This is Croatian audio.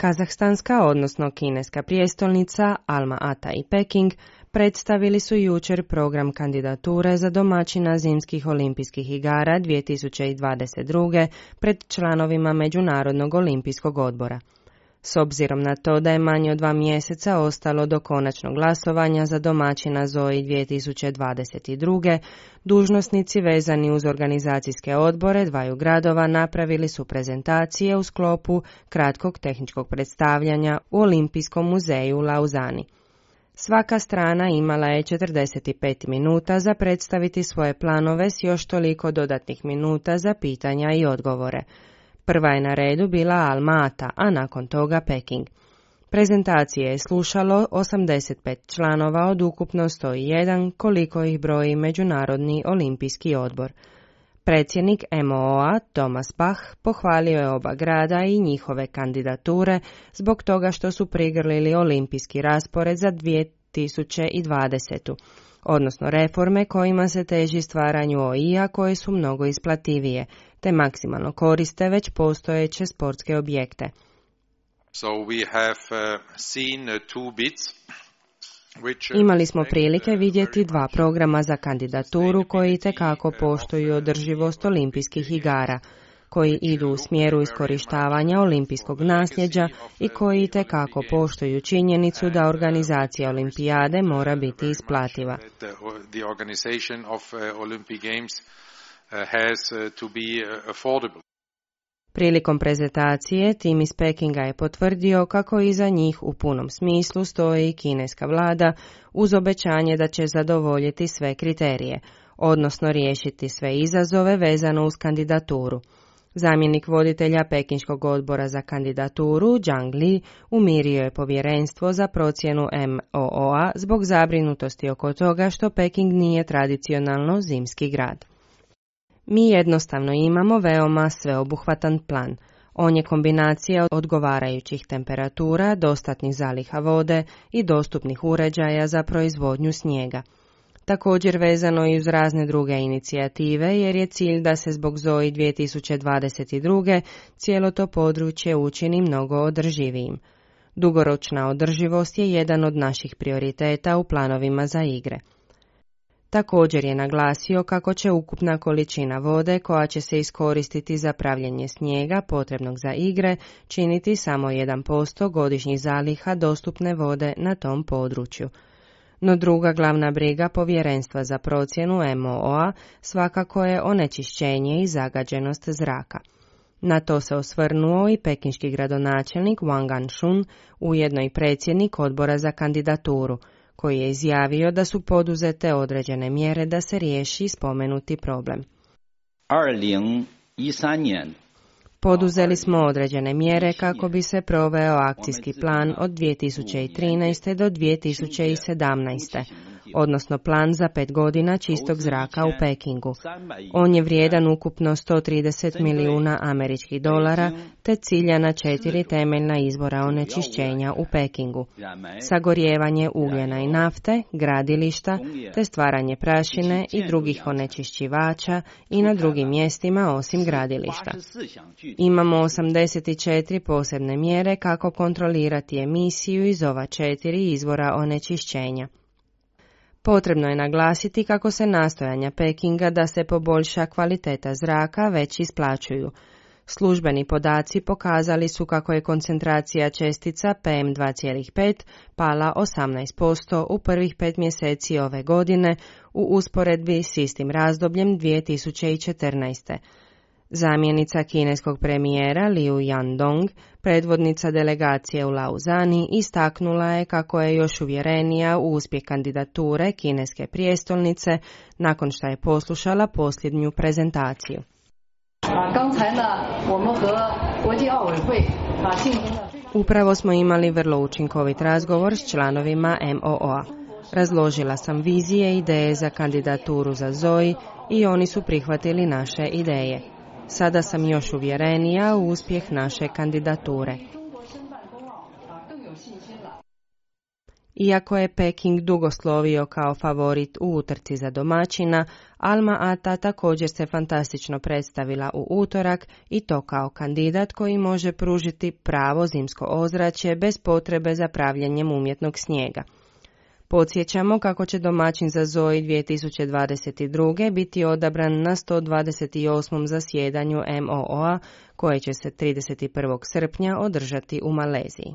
Kazahstanska, odnosno kineska prijestolnica, Alma-Ata i Peking predstavili su jučer program kandidature za domaćina zimskih olimpijskih igara 2022. pred članovima Međunarodnog olimpijskog odbora. S obzirom na to da je manje od 2 mjeseca ostalo do konačnog glasovanja za domaćina ZOI 2022. dužnosnici vezani uz organizacijske odbore dvaju gradova napravili su prezentacije u sklopu kratkog tehničkog predstavljanja u Olimpijskom muzeju u Lauzani. Svaka strana imala je 45 minuta za predstaviti svoje planove s još toliko dodatnih minuta za pitanja i odgovore. Prva je na redu bila Alma-Ata, a nakon toga Peking. Prezentacije je slušalo 85 članova od ukupno 101, koliko ih broji Međunarodni olimpijski odbor. Predsjednik MOO-a Thomas Bach pohvalio je oba grada i njihove kandidature zbog toga što su prigrlili olimpijski raspored za 2020. odnosno reforme kojima se teži stvaranju OI-a koje su mnogo isplativije, te maksimalno koriste već postojeće sportske objekte. Imali smo prilike vidjeti 2 programa za kandidaturu koji itekako poštuju održivost olimpijskih igara, koji idu u smjeru iskorištavanja olimpijskog nasljeđa i koji itekako poštuju činjenicu da organizacija olimpijade mora biti isplativa. Prilikom prezentacije tim iz Pekinga je potvrdio kako iza njih u punom smislu stoji i kineska vlada uz obećanje da će zadovoljiti sve kriterije, odnosno riješiti sve izazove vezano uz kandidaturu. Zamjenik voditelja Pekinškog odbora za kandidaturu, Zhang Li, umirio je povjerenstvo za procjenu MOO-a zbog zabrinutosti oko toga što Peking nije tradicionalno zimski grad. Mi jednostavno imamo veoma sveobuhvatan plan. On je kombinacija odgovarajućih temperatura, dostatnih zaliha vode i dostupnih uređaja za proizvodnju snijega. Također vezano i uz razne druge inicijative jer je cilj da se zbog ZOI 2022. cijelo to područje učini mnogo održivijim. Dugoročna održivost je jedan od naših prioriteta u planovima za igre. Također je naglasio kako će ukupna količina vode koja će se iskoristiti za pravljenje snijega potrebnog za igre činiti samo 1% godišnjih zaliha dostupne vode na tom području. No druga glavna briga povjerenstva za procjenu MOO-a svakako je onečišćenje i zagađenost zraka. Na to se osvrnuo i pekinški gradonačelnik Wang Anshun, ujedno i predsjednik odbora za kandidaturu, koji je izjavio da su poduzete određene mjere da se riješi spomenuti problem. Poduzeli smo određene mjere kako bi se proveo akcijski plan od 2013. do 2017. odnosno plan za 5 godina čistog zraka u Pekingu. On je vrijedan ukupno $130 milijuna američkih dolara, te cilja na 4 temeljna izvora onečišćenja u Pekingu: sagorijevanje ugljena i nafte, gradilišta, te stvaranje prašine i drugih onečišćivača i na drugim mjestima osim gradilišta. Imamo 84 posebne mjere kako kontrolirati emisiju iz ova 4 izvora onečišćenja. Potrebno je naglasiti kako se nastojanja Pekinga da se poboljša kvaliteta zraka već isplaćuju. Službeni podaci pokazali su kako je koncentracija čestica PM2,5 pala 18% u prvih 5 mjeseci ove godine u usporedbi s istim razdobljem 2014. Zamjenica kineskog premijera Liu Yandong, predvodnica delegacije u Lauzani, istaknula je kako je još uvjerenija u uspjeh kandidature kineske prijestolnice nakon što je poslušala posljednju prezentaciju. Upravo smo imali vrlo učinkovit razgovor s članovima MOO-a. Razložila sam vizije i ideje za kandidaturu za ZOI i oni su prihvatili naše ideje. Sada sam još uvjerenija u uspjeh naše kandidature. Iako je Peking dugo slovio kao favorit u utrci za domaćina, Alma Ata također se fantastično predstavila u utorak i to kao kandidat koji može pružiti pravo zimsko ozračje bez potrebe za pravljenjem umjetnog snijega. Podsjećamo kako će domaćin za Zoi 2022. biti odabran na 128. zasjedanju MOO-a koje će se 31. srpnja održati u Maleziji.